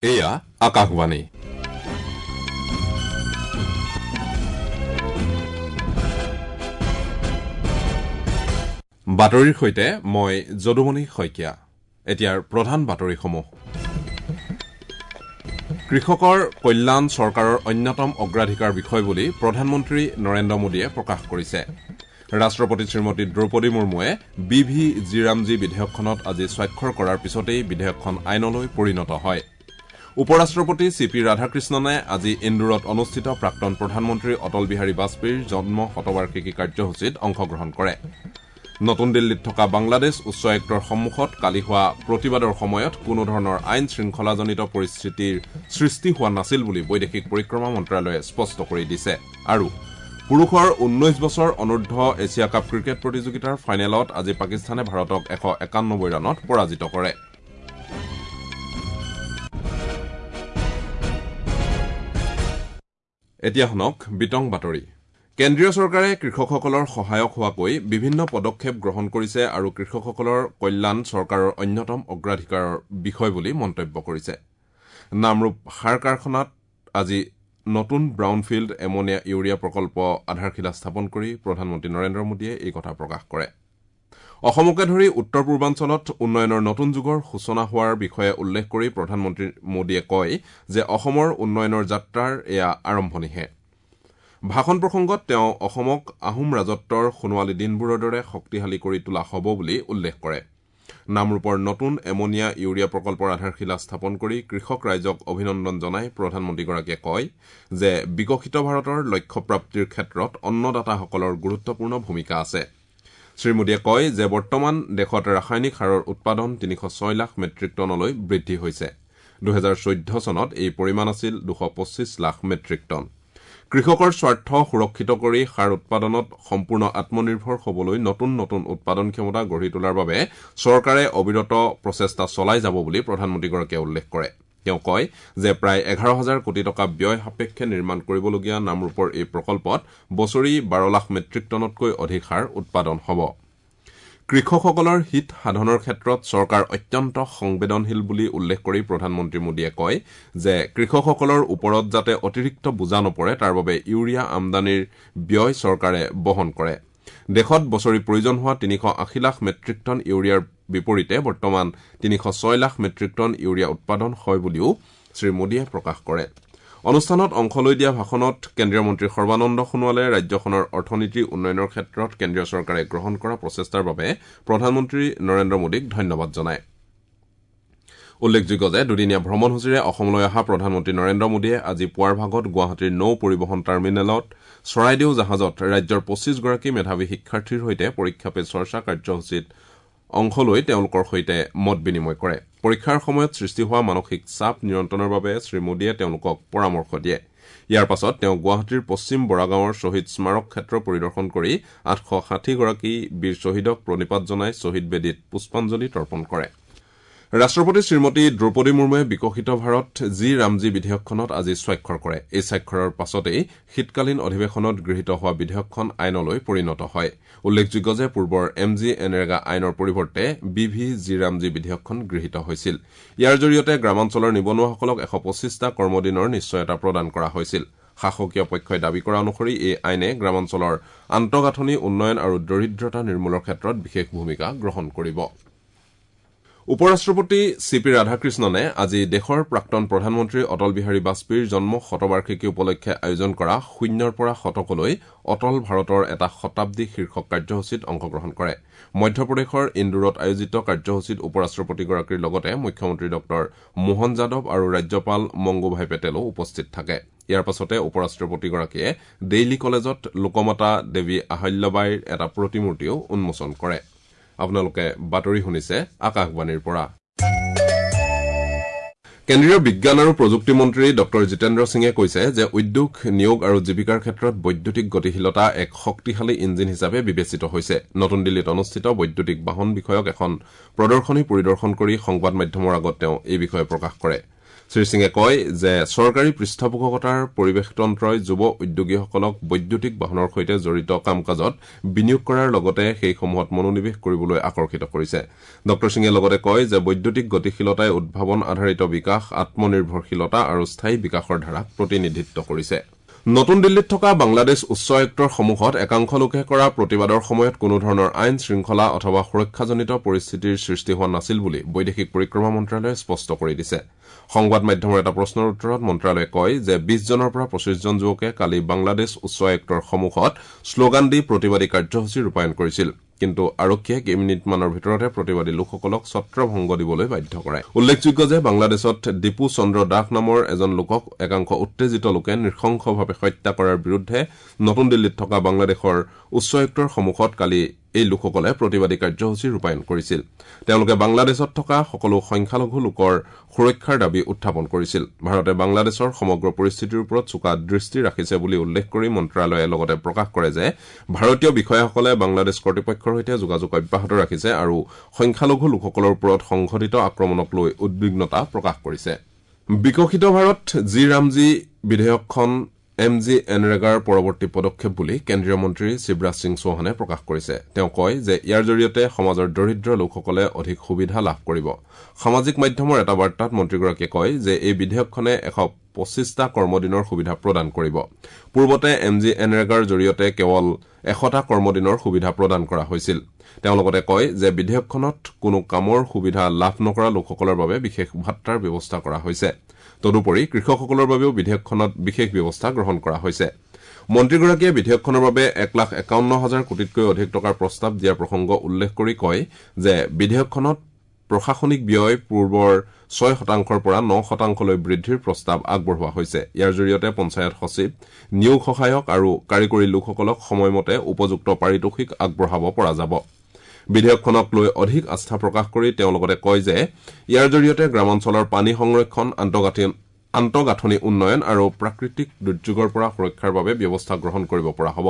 এয়া আকাশবাণী। বাতৰিৰ সৈতে মই যদুমণি শইকীয়া। এতিয়াৰ প্ৰধান বাতৰিসমূহ। কৃষকৰ কল্যাণ চৰকাৰৰ অন্যতম অগ্ৰাধিকাৰ বিষয় বুলি প্ৰধানমন্ত্ৰী নৰেন্দ্ৰ মোদীয়ে প্ৰকাশ কৰিছে। ৰাষ্ট্ৰপতি শ্ৰীমতী দ্ৰৌপদী মুৰ্মুৱে বি ভি জি ৰামজী বিধেয়কখনত আজি স্বাক্ষৰ কৰাৰ পিছতেই বিধেয়কখন আইনলৈ পৰিণত হয়। উপ-ৰাষ্ট্ৰপতি চি পি ৰাধাকৃষ্ণনে আজি ইন্দোৰত অনুষ্ঠিত প্ৰাক্তন প্ৰধানমন্ত্ৰী অটল বিহাৰী বাজপেয়ীৰ জন্ম শতবাৰ্ষিকী কাৰ্যসূচীত অংশগ্ৰহণ কৰে। নতুন দিল্লীত থকা বাংলাদেশ উচ্চ আয়ুক্তৰ সন্মুখত কালি হোৱা প্ৰতিবাদৰ সময়ত কোনো ধৰণৰ আইন শৃংখলাজনিত পৰিস্থিতিৰ সৃষ্টি হোৱা নাছিল বুলি বৈদেশিক পৰিক্ৰমা মন্ত্ৰালয়ে স্পষ্ট কৰি দিছে। আৰু পুৰুষৰ ১৯ বছৰ অনূৰ্ধ্ব এছিয়া কাপ ক্ৰিকেট প্ৰতিযোগিতাৰ ফাইনেলত আজি পাকিস্তানে ভাৰতক ১৯১ ৰানত পৰাজিত কৰে। এতিয়া শুনক বিতং বাতৰি। কেন্দ্ৰীয় চৰকাৰে কৃষকসকলৰ সহায়ক হোৱাকৈ বিভিন্ন পদক্ষেপ গ্ৰহণ কৰিছে আৰু কৃষকসকলৰ কল্যাণ চৰকাৰৰ অন্যতম অগ্ৰাধিকাৰৰ বিষয় বুলি মন্তব্য কৰিছে। নামৰূপ সাৰ কাৰখানাত আজি নতুন ব্ৰাউনফিল্ড এমনিয়া ইউৰিয়া প্ৰকল্প আধাৰশিলা স্থাপন কৰি প্ৰধানমন্ত্ৰী নৰেন্দ্ৰ মোদীয়ে এই কথা প্ৰকাশ কৰে। অসমকে ধৰি উত্তৰ পূৰ্বাঞ্চলত উন্নয়নৰ নতুন যুগৰ সূচনা হোৱাৰ বিষয়ে উল্লেখ কৰি প্ৰধানমন্ত্ৰী মোদীয়ে কয় যে অসমৰ উন্নয়নৰ যাত্ৰাৰ এয়া আৰম্ভণিহে। ভাষণ প্ৰসংগত তেওঁ অসমক আহোম ৰাজত্বৰ সোণোৱালী দিনবোৰৰ দৰে শক্তিশালী কৰি তোলা হ'ব বুলি উল্লেখ কৰে। নামৰূপৰ নতুন এমনিয়া ইউৰিয়া প্ৰকল্পৰ আধাৰশিলা স্থাপন কৰি কৃষক ৰাইজক অভিনন্দন জনাই প্ৰধানমন্ত্ৰীগৰাকীয়ে কয় যে বিকশিত ভাৰতৰ লক্ষ্যপ্ৰাপ্তিৰ ক্ষেত্ৰত অন্নদাতাসকলৰ গুৰুত্বপূৰ্ণ ভূমিকা আছে। শ্ৰীমোদীয়ে কয় যে বৰ্তমান দেশত ৰাসায়নিক সাৰৰ উৎপাদন ৩০৬ লাখ মেট্ৰিক টনলৈ বৃদ্ধি হৈছে। ২০১৪ চনত এই পৰিমাণ আছিল ২২৫ লাখ মেট্ৰিক টন। কৃষকৰ স্বাৰ্থ সুৰক্ষিত কৰি সাৰ উৎপাদনত সম্পূৰ্ণ আত্মনিৰ্ভৰ হবলৈ নতুন নতুন উৎপাদন ক্ষমতা গঢ়ি তোলাৰ বাবে চৰকাৰে অবিৰত প্ৰচেষ্টা চলাই যাব বুলি প্ৰধানমন্ত্ৰীগৰাকীয়ে উল্লেখ কৰে। তেওঁ কয় যে প্ৰায় ১১ হাজাৰ কোটি টকা ব্যয় সাপেক্ষে নিৰ্মাণ কৰিবলগীয়া নামৰূপৰ এই প্ৰকল্পত বছৰি ১২ লাখ মেট্ৰিক টনতকৈ অধিক সাৰ উৎপাদন হ'ব। কৃষকসকলৰ হিত সাধনৰ ক্ষেত্ৰত চৰকাৰ অত্যন্ত সংবেদনশীল বুলি উল্লেখ কৰি প্ৰধানমন্ত্ৰী মোদীয়ে কয় যে কৃষকসকলৰ ওপৰত যাতে অতিৰিক্ত বোজা নপৰে তাৰ বাবে ইউৰিয়া আমদানিৰ ব্যয় চৰকাৰে বহন কৰে। দেশত বছৰি প্ৰয়োজন হোৱা ৩৮০ লাখ মেট্ৰিক টন ইউৰিয়াৰ বিপৰীতে বৰ্তমান ৩০৬ লাখ মেট্ৰিক টন ইউৰিয়া উৎপাদন হয় বুলিও শ্ৰীমোদীয়ে প্ৰকাশ কৰে। অনুষ্ঠানত অংশ লৈ দিয়া ভাষণত কেন্দ্ৰীয় মন্ত্ৰী সৰ্বানন্দ সোণোৱালে ৰাজ্যখনৰ অৰ্থনীতি উন্নয়নৰ ক্ষেত্ৰত কেন্দ্ৰীয় চৰকাৰে গ্ৰহণ কৰা প্ৰচেষ্টাৰ বাবে প্ৰধানমন্ত্ৰী নৰেন্দ্ৰ মোদীক ধন্যবাদ জনায়। উল্লেখযোগ্য যে দুদিনীয়া ভ্ৰমণসূচীৰে অসমলৈ অহা প্ৰধানমন্ত্ৰী নৰেন্দ্ৰ মোদীয়ে আজি পুৱাৰ ভাগত গুৱাহাটীৰ নৌ পৰিবহণ টাৰ্মিনেলত চৰাইদেউ জাহাজত ৰাজ্যৰ ২৫ গৰাকী মেধাৱী শিক্ষাৰ্থীৰ সৈতে পৰীক্ষা পে চৰ্চা কাৰ্যসূচীত অংশ লৈ তেওঁলোকৰ সৈতে মত বিনিময় কৰে। পৰীক্ষাৰ সময়ত সৃষ্টি হোৱা মানসিক চাপ নিয়ন্ত্ৰণৰ বাবে শ্ৰীমোদীয়ে তেওঁলোকক পৰামৰ্শ দিয়ে। ইয়াৰ পাছত তেওঁ গুৱাহাটীৰ পশ্চিম বৰাগাঁৱৰ শ্বহীদ স্মাৰক ক্ষেত্ৰ পৰিদৰ্শন কৰি ৮৬০ গৰাকী বীৰ শ্বহীদক প্ৰণিপাত জনাই শ্বহীদ বেদীত পুষ্পাঞ্জলি তৰ্পণ কৰে। ৰাষ্ট্ৰপতি শ্ৰীমতী দ্ৰৌপদী মুৰ্মুৱে বিকশিত ভাৰত জি ৰামজী বিধেয়কখনত আজি স্বাক্ষৰ কৰে। এই স্বাক্ষৰৰ পাছতেই শীতকালীন অধিৱেশনত গৃহীত হোৱা বিধেয়কখন আইনলৈ পৰিণত হয়। উল্লেখযোগ্য যে পূৰ্বৰ এম জি এনৰেগা আইনৰ পৰিৱৰ্তে বি ভি জি ৰামজী বিধেয়কখন গৃহীত হৈছিল। ইয়াৰ জৰিয়তে গ্ৰামাঞ্চলৰ নিবনুৱাসকলক ১২৫টা কৰ্মদিনৰ নিশ্চয়তা প্ৰদান কৰা হৈছিল। শাসকীয় পক্ষই দাবী কৰা অনুসৰি এই আইনে গ্ৰামাঞ্চলৰ আন্তঃগাঁথনি উন্নয়ন আৰু দৰিদ্ৰতা নিৰ্মূলৰ ক্ষেত্ৰত বিশেষ ভূমিকা গ্ৰহণ কৰিব। উপ-ৰাষ্ট্ৰপতি চি পি ৰাধাকৃষ্ণনে আজি দেশৰ প্ৰাক্তন প্ৰধানমন্ত্ৰী অটল বিহাৰী বাজপেয়ীৰ জন্ম শতবাৰ্ষিকী উপলক্ষে আয়োজন কৰা শূন্যৰ পৰা শতকলৈ অটল ভাৰতৰ এটা শতাব্দী শীৰ্ষক কাৰ্যসূচীত অংশগ্ৰহণ কৰে। মধ্যপ্ৰদেশৰ ইন্দোৰত আয়োজিত কাৰ্যসূচীত উপ-ৰাষ্ট্ৰপতিগৰাকীৰ লগতে মুখ্যমন্ত্ৰী ডঃ মোহন যাদৱ আৰু ৰাজ্যপাল মংগুভাই পেটেলো উপস্থিত থাকে। ইয়াৰ পাছতে উপ-ৰাষ্ট্ৰপতিগৰাকীয়ে ডেইলী কলেজত লোকমাতা দেৱী আহল্যাবাইৰ এটা প্ৰতিমূৰ্তিও উন্মোচন কৰে। আপোনালোকে বাতৰি শুনিছে আকাশবাণীৰ পৰা। কেন্দ্ৰীয় বিজ্ঞান আৰু প্ৰযুক্তি মন্ত্ৰী ডঃ জিতেন্দ্ৰ সিঙে কৈছে যে উদ্যোগ, নিয়োগ আৰু জীৱিকাৰ ক্ষেত্ৰত বৈদ্যুতিক গতিশীলতা এক শক্তিশালী ইঞ্জিন হিচাপে বিবেচিত হৈছে। নতুন দিল্লীত অনুষ্ঠিত বৈদ্যুতিক বাহন বিষয়ক এখন প্ৰদৰ্শনী পৰিদৰ্শন কৰি সংবাদ মাধ্যমৰ আগত তেওঁ এই বিষয়ে প্ৰকাশ কৰে। শ্ৰীসিঙে কয় যে চৰকাৰী পৃষ্ঠপোষকতাৰ পৰিৱেশতন্ত্ৰই যুৱ উদ্যোগীসকলক বৈদ্যুতিক বাহনৰ সৈতে জড়িত কাম কাজত বিনিয়োগ কৰাৰ লগতে সেইসমূহত মনোনিৱেশ কৰিবলৈ আকৰ্ষিত কৰিছে। ডঃ সিঙে লগতে কয় যে বৈদ্যুতিক গতিশীলতাই উদ্ভাৱন আধাৰিত বিকাশ, আত্মনিৰ্ভৰশীলতা আৰু স্থায়ী বিকাশৰ ধাৰাক প্ৰতিনিধিত্ব কৰিছে। নতুন দিল্লীত থকা বাংলাদেশ উচ্চ আয়ুক্তৰ সন্মুখত একাংশ লোকে কৰা প্ৰতিবাদৰ সময়ত কোনোধৰণৰ আইন শৃংখলা অথবা সুৰক্ষাজনিত পৰিস্থিতিৰ সৃষ্টি হোৱা নাছিল বুলি বৈদেশিক পৰিক্ৰমা মন্ত্ৰালয়ে স্পষ্ট কৰি দিছে। সংবাদ মাধ্যমৰ এটা প্ৰশ্নৰ উত্তৰত মন্ত্ৰালয়ে কয় যে ২০ জনৰ পৰা ২৫ জন যুৱকে কালি বাংলাদেশ উচ্চ আয়ুক্তৰ সন্মুখত শ্লোগান দি প্ৰতিবাদী কাৰ্যসূচী ৰূপায়ণ কৰিছিল। কিন্তু আৰক্ষীয়ে কেইমিনিটমানৰ ভিতৰতে প্ৰতিবাদী লোকসকলক ছত্ৰভংগ দিবলৈ বাধ্য কৰায়। উল্লেখযোগ্য যে বাংলাদেশত দীপু চন্দ্ৰ দাস নামৰ এজন লোকক একাংশ উত্তেজিত লোকে নৃশংসভাৱে হত্যা কৰাৰ বিৰুদ্ধে নতুন দিল্লীত থকা বাংলাদেশৰ উচ্চ আয়ুক্তৰ সন্মুখত কালি এই লোকসকলে প্ৰতিবাদী কাৰ্যসূচী ৰূপায়ণ কৰিছিল। তেওঁলোকে বাংলাদেশত থকা সকলো সংখ্যালঘু লোকৰ সুৰক্ষাৰ দাবী উত্থাপন কৰিছিল। ভাৰতে বাংলাদেশৰ সমগ্ৰ পৰিস্থিতিৰ ওপৰত চোকা দৃষ্টি ৰাখিছে বুলি উল্লেখ কৰি মন্ত্ৰালয়ে লগতে প্ৰকাশ কৰে যে ভাৰতীয় বিষয়াসকলে বাংলাদেশ কৰ্তৃপক্ষৰ সৈতে যোগাযোগ অব্যাহত ৰাখিছে আৰু সংখ্যালঘু লোকসকলৰ ওপৰত সংঘটিত আক্ৰমণক লৈ উদ্বিগ্নতা প্ৰকাশ কৰিছে। বিকশিত ভাৰত জি ৰামজী বিধেয়কখন এম জি এনৰেগাৰ পৰৱৰ্তী পদক্ষেপ বুলি কেন্দ্ৰীয় মন্ত্ৰী শিৱৰাজ সিং চৌহানে প্ৰকাশ কৰিছে। তেওঁ কয় যে ইয়াৰ জৰিয়তে সমাজৰ দৰিদ্ৰ লোকসকলে অধিক সুবিধা লাভ কৰিব। সামাজিক মাধ্যমৰ এটা বাৰ্তাত মন্ত্ৰীগৰাকীয়ে কয় যে এই বিধেয়কখনে ১২৫টা কৰ্মদিনৰ সুবিধা প্ৰদান কৰিব। পূৰ্বতে এম জি এনৰেগাৰ জৰিয়তে কেৱল ১০০টা কৰ্মদিনৰ সুবিধা প্ৰদান কৰা হৈছিল। তেওঁ লগতে কয় যে বিধেয়কখনত কোনো কামৰ সুবিধা লাভ নকৰা লোকসকলৰ বাবে বিশেষ ভাট্টাৰ ব্যৱস্থা কৰা হৈছে। তদুপৰি কৃষকসকলৰ বাবেও বিধেয়কখনত বিশেষ ব্যৱস্থা গ্ৰহণ কৰা হৈছে। মন্ত্ৰীগৰাকীয়ে বিধেয়কখনৰ বাবে ১,৫১,০০০ কোটিতকৈ অধিক টকাৰ প্ৰস্তাৱ দিয়াৰ প্ৰসংগ উল্লেখ কৰি কয় যে বিধেয়কখনত প্ৰশাসনিক ব্যয় পূৰ্বৰ ৬% পৰা ৯% বৃদ্ধিৰ প্ৰস্তাৱ আগবঢ়োৱা হৈছে। ইয়াৰ জৰিয়তে পঞ্চায়ত সচিব, নিয়োগ সহায়ক আৰু কাৰিকৰী লোকসকলক সময়মতে উপযুক্ত পাৰিতোষিক আগবঢ়াব পৰা যাব। বিধেয়কখনক লৈ অধিক আস্থা প্ৰকাশ কৰি তেওঁ লগতে কয় যে ইয়াৰ জৰিয়তে গ্ৰামাঞ্চলৰ পানী সংৰক্ষণ, আন্তঃগাঁথনি উন্নয়ন আৰু প্ৰাকৃতিক দুৰ্যোগৰ পৰা সুৰক্ষাৰ বাবে ব্যৱস্থা গ্ৰহণ কৰিব পৰা হ'ব।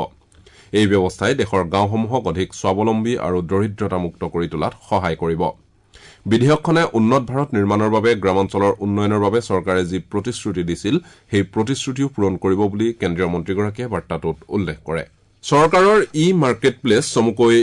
এই ব্যৱস্থাই দেশৰ গাঁওসমূহক অধিক স্বাৱলম্বী আৰু দৰিদ্ৰতামুক্ত কৰি তোলাত সহায় কৰিব। বিধেয়কখনে উন্নত ভাৰত নিৰ্মাণৰ বাবে গ্ৰামাঞ্চলৰ উন্নয়নৰ বাবে চৰকাৰে যি প্ৰতিশ্ৰুতি দিছিল সেই প্ৰতিশ্ৰুতিও পূৰণ কৰিব বুলি কেন্দ্ৰীয় মন্ত্ৰীগৰাকীয়ে বাৰ্তাটোত উল্লেখ কৰে। চৰকাৰৰ ই মাৰ্কেট প্লেচ চমুকৈ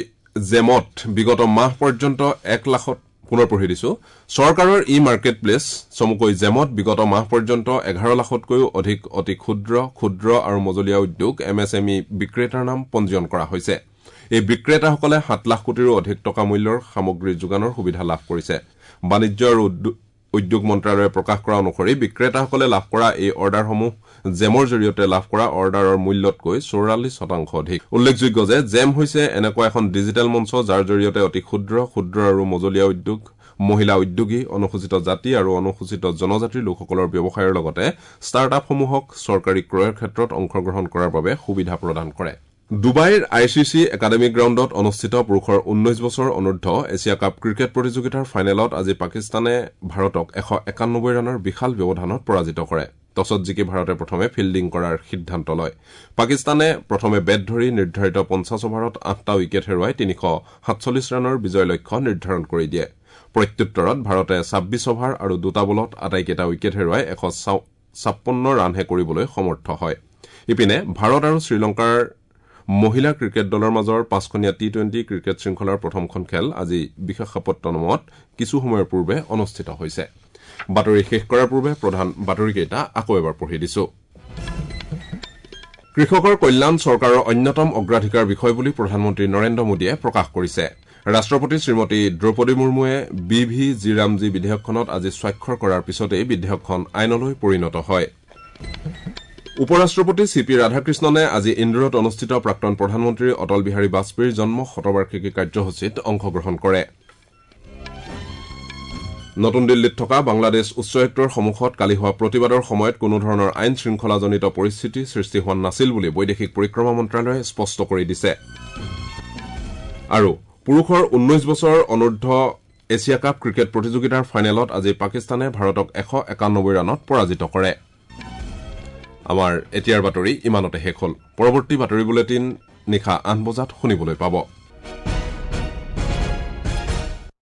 জেমত বিগত মাহ পৰ্যন্ত ১ লাখত পুনৰ পঢ়ি দিছো। চৰকাৰৰ ই মাৰ্কেট প্লেচ চমুকৈ জেমত বিগত মাহ পৰ্যন্ত ১১ লাখতকৈও অধিক অতি ক্ষুদ্ৰ, ক্ষুদ্ৰ আৰু মজলীয়া উদ্যোগ এম এছ এম ই বিক্ৰেতাৰ নাম পঞ্জীয়ন কৰা হৈছে। এই বিক্ৰেতাসকলে ৭ লাখ কোটিৰো অধিক টকা মূল্যৰ সামগ্ৰী যোগানৰ সুবিধা লাভ কৰিছে। বাণিজ্য আৰু উদ্যোগ মন্ত্ৰালয়ে প্ৰকাশ কৰা অনুসৰি বিক্ৰেতাসকলে লাভ কৰা এই অৰ্ডাৰসমূহ জেমৰ জৰিয়তে লাভ কৰা অৰ্ডাৰৰ মূল্যতকৈ ৪৪% অধিক। উল্লেখযোগ্য যে জেম হৈছে এনেকুৱা এখন ডিজিটেল মঞ্চ যাৰ জৰিয়তে অতি ক্ষুদ্ৰ, ক্ষুদ্ৰ আৰু মজলীয়া উদ্যোগ, মহিলা উদ্যোগী, অনুসূচিত জাতি আৰু অনুসূচিত জনজাতিৰ লোকসকলৰ ব্যৱসায়ৰ লগতে ষ্টাৰ্ট আপসমূহক চৰকাৰী ক্ৰয়ৰ ক্ষেত্ৰত অংশগ্ৰহণ কৰাৰ বাবে সুবিধা প্ৰদান কৰে। ডুবাইৰ I C C academy গ্ৰাউণ্ডত অনুষ্ঠিত পুৰুষৰ ১৯ বছৰ অনূৰ্ধ্ব এছিয়া কাপ ক্ৰিকেট প্ৰতিযোগিতাৰ ফাইনেলত আজি পাকিস্তানে ভাৰতক ১৯১ ৰানৰ বিশাল ব্যৱধানত পৰাজিত কৰে। টছত জিকি ভাৰতে প্ৰথমে ফিল্ডিং কৰাৰ সিদ্ধান্ত লয়। পাকিস্তানে প্ৰথমে বেট ধৰি নিৰ্ধাৰিত ৫০ অভাৰত ৮টা উইকেট হেৰুৱাই ৩৪৭ ৰানৰ বিজয় লক্ষ্য নিৰ্ধাৰণ কৰি দিয়ে। প্ৰত্যুত্তৰত ভাৰতে ২৬ অভাৰ আৰু ২টা বলত আটাইকেইটা উইকেট হেৰুৱাই ১৫৬ ৰানহে কৰিবলৈ সমৰ্থ হয়। ইপিনে ভাৰত আৰু শ্ৰীলংকাৰ মহিলা ক্ৰিকেট দলৰ মাজৰ ৫খনীয়া টি-টুৱেণ্টি ক্ৰিকেট শৃংখলাৰ প্ৰথমখন খেল আজি বিশাখাপট্টনমত কিছু সময়ৰ পূৰ্বে অনুষ্ঠিত হৈছে। বাতৰি শেষ কৰাৰ পূৰ্বে প্ৰধান বাতৰিকেইটা আকৌ এবাৰ পঢ়ি দিছো। কৃষকৰ কল্যাণ চৰকাৰৰ অন্যতম অগ্ৰাধিকাৰ বিষয় বুলি প্ৰধানমন্ত্ৰী নৰেন্দ্ৰ মোদীয়ে প্ৰকাশ কৰিছে। ৰাষ্ট্ৰপতি শ্ৰীমতী দ্ৰৌপদী মুৰ্মুৱে বি ভি জি ৰামজী বিধেয়কখনত আজি স্বাক্ষৰ কৰাৰ পিছতেই বিধেয়কখন আইনলৈ পৰিণত হয়। উপ ৰাষ্ট্ৰপতি চি পি ৰাধাকৃষ্ণনে আজি ইন্দোৰত অনুষ্ঠিত প্ৰাক্তন প্ৰধানমন্ত্ৰী অটল বিহাৰী বাজপেয়ীৰ জন্ম শতবাৰ্ষিকী কাৰ্যসূচীত অংশগ্ৰহণ কৰে। নতুন দিল্লীত থকা বাংলাদেশ উচ্চায়ুক্তৰ সন্মুখত কালি হোৱা প্ৰতিবাদৰ সময়ত কোনোধৰণৰ আইন শৃংখলাজনিত পৰিস্থিতি সৃষ্টি হোৱা নাছিল বুলি বৈদেশিক পৰিক্ৰমা মন্ত্ৰালয়ে স্পষ্ট কৰি দিছে। আৰু পুৰুষৰ ১৯ বছৰ অনূৰ্ধ্ব এছিয়া কাপ ক্ৰিকেট প্ৰতিযোগিতাৰ ফাইনেলত আজি পাকিস্তানে ভাৰতক ১৯১ ৰানত পৰাজিত কৰে। আমাৰ এতিয়াৰ বাতৰি ইমানতে শেষ হ'ল। পৰৱৰ্তী বাতৰি বুলেটিন নিশা ৮ বজাত শুনিবলৈ পাব।